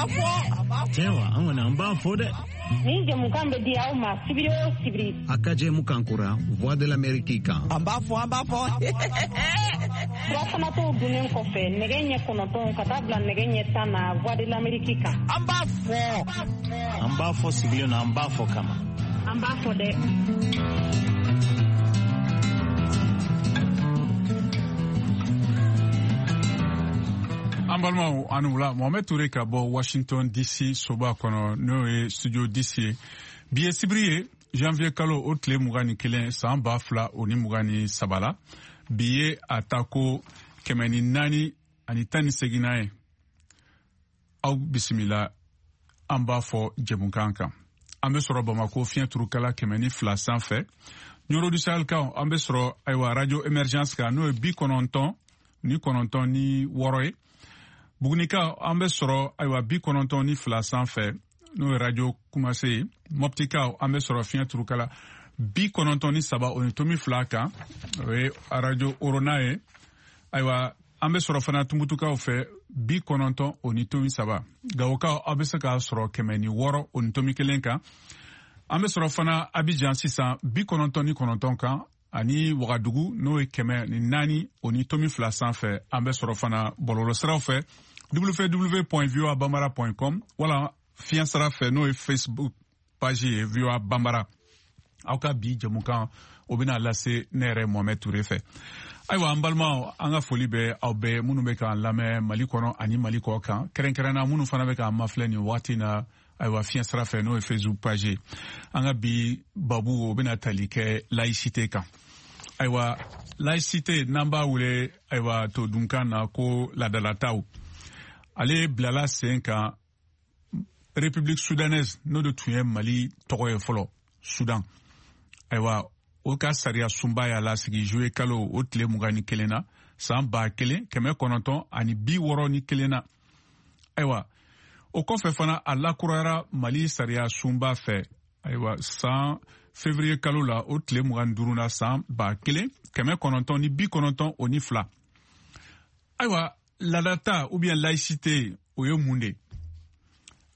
b'a fɔ. Tiɲɛ wa, an kɔni an b'a fɔ dɛ. Nin jɛmukan bɛ di aw ma sibiri o sibiri. A ka jɛmukan kura Voix de l'Amérique kan. An b'a fɔ, an b'a fɔ. Surafanatɔw dunnen kɔfɛ nɛgɛ ɲɛ 9 ka taa bila nɛgɛ ɲɛ 10 na Voix de l'Amérique kan. An b'a fɔ. An b'a fɔ sigilen na, an b'a fɔ kama. An b'a fɔ dɛ. An balimaw, ani wula. Mohamed Toure ka bɔ Washington DC soba kɔnɔ, n'o ye studio DC ye. Bi ye sibiri ye, janvier kalo o tile 21, san 2023 la. Bi ye a ta ko 418 ye. Aw bisimila an b'a fɔ jɛmukan kan. An bɛ sɔrɔ Bamako fiɲɛ turukala 102 sanfɛ. Ɲɔrɔ du Sahel kan, an bɛ sɔrɔ ayiwa radio Emergence kan, n'o ye 99.6 ye. Bugunika, an bɛ sɔrɔ ayiwa 92 sanfɛ, n'o ye radio Kumase ye. Mɔptikaw, an bɛ sɔrɔ fiɲɛ turukala 93.2 kan, o ye radio Orona ye. Ayiwa, an bɛ sɔrɔ fana Tumutukaw fɛ 90.3. Gawokaw, aw bɛ se k'a sɔrɔ 106.1 kan. An bɛ sɔrɔ fana Abidjan sisan 99 kan, ani Wagadugu, n'o ye 104.2 sanfɛ. An bɛ sɔrɔ fana bɔlɔlɔsiraw fɛ www.voabambara.com, wala fiɲɛ sira fɛ, n'o ye Facebook page ye VOA Bambara. Aw ka bi jɛmukan, o bɛna lase ne yɛrɛ Mohamed Toure fɛ. Ayiwa, an balimaw, an ka foli bɛ aw bɛɛ minnu bɛ k'an lamɛn Mali kɔnɔ ani Mali kɔ kan, kɛrɛnkɛrɛnna minnu fana bɛ k'an mafilɛ nin waati na, ayiwa fiɲɛ sira fɛ, n'o ye Facebook page ye. An ka bi babu, o bɛna tali kɛ laïcité kan. Ayiwa, laïcité, n'an b'a wele ayiwa todunkan na ko ladalataw, ale bilala sen kan République soudanaise, n'o de tun ye Mali tɔgɔ ye fɔlɔ, Soudan. Ayiwa, o ka sariya sunba y'a lasigi juillet kalo o tile 21 na, san 1961 na. Ayiwa, o kɔfɛ fana, a lakurayara Mali sariya sunba fɛ, ayiwa san février kalo la, o tile 25 na, san 1992. Ayiwa, ladata ou bien laïcité, o ye mun de?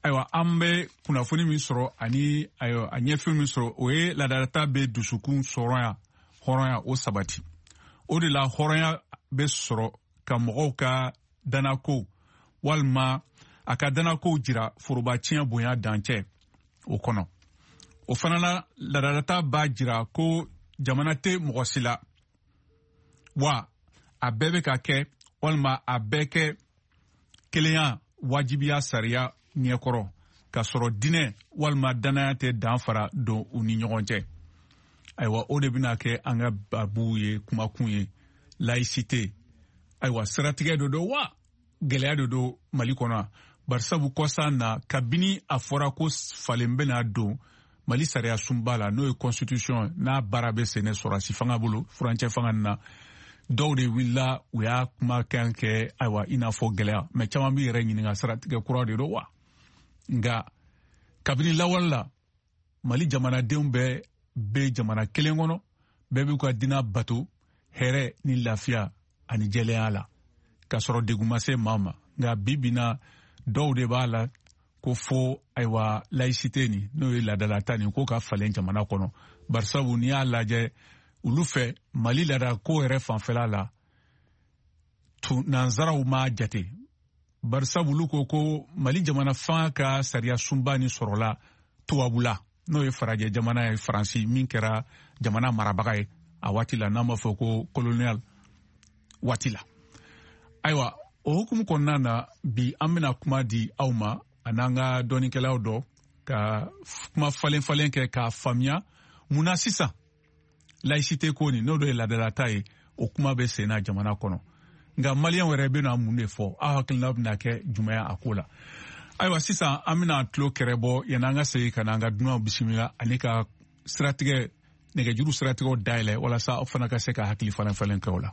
Ayiwa, an bɛ kunnafoni min sɔrɔ ani ayiwa a ɲɛfɛn min sɔrɔ, o ye ladata bɛ dusukun sɔrɔya, hɔrɔnya, o sabati. O de la hɔrɔnya bɛ sɔrɔ ka mɔgɔw ka danako walima a ka danakow jira forobaciyɛn bonya dancɛ o kɔnɔ. O fana na, ladalata b'a jira ko jamana tɛ mɔgɔ si la, wa a bɛɛ bɛ ka kɛ walima a bɛɛ kɛ kelenya wajibiya sariya ɲɛkɔrɔ, k'a sɔrɔ diinɛ walima danaya tɛ danfara don u ni ɲɔgɔn cɛ. Ayiwa, o de bɛna kɛ an ka babu ye, kumakun ye, laïcité. Ayiwa, siratigɛ dɔ don wa gɛlɛya de don Mali kɔnɔ? Barisabu kɔsan na, kabini a fɔra ko falen bɛna don Mali sariya sunba la, n'o ye constitution, n'a baara bɛ senɛ sɔrɔsi fanga bolo furancɛ fanga na, dɔw de wulila, u y'a kumakan kɛ ayiwa i n'a fɔ gɛlɛya. Mɛ caman b'i yɛrɛ ɲininka, siratigɛ kura de don wa? Nka kabini lawale la, Mali jamanadenw bɛɛ bɛ jamana kelen kɔnɔ, bɛɛ b'u ka diinɛ bato hɛrɛ ni lafiya ani jɛlenya la, k'a sɔrɔ degun ma se maa ma. Nka bi bi na, dɔw de b'a la ko fo ayiwa laïcité nin, n'o ye ladalata nin, ko ka falen jamana kɔnɔ. Barisabu n'i y'a lajɛ, olu fɛ Mali laadako yɛrɛ fanfɛla la, nanzaraw m'a jate. Barisabu olu ko ko Mali jamana fanga ka sariya sunba nin sɔrɔla tubabula, n'o ye farajɛ jamana ye, Faransi, min kɛra jamana marabaga ye a waati la, n'an b'a fɔ ko colonial waati la. Ayiwa, o hukumu kɔnɔna na, bi an bɛna kuma di aw ma an'an ka dɔnnikɛlaw dɔ ka kuma falen falen kɛ k'a faamuya mun na sisan laïcité ko nin, n'o de ye ladalata ye, o kuma bɛ sen na jamana kɔnɔ. Nka maliyɛnw yɛrɛ bɛna mun de fɔ? Aw hakilina bɛna kɛ jumɛn ye a ko la? Ayiwa, sisan an bɛna tulo kɛrɛ bɔ yanni an ka segin ka na an ka dunanw bisimila ani ka siratigɛ nɛgɛjuru siratigɛw dayɛlɛ, walasa aw fana ka se ka hakili falen falen kɛ o la.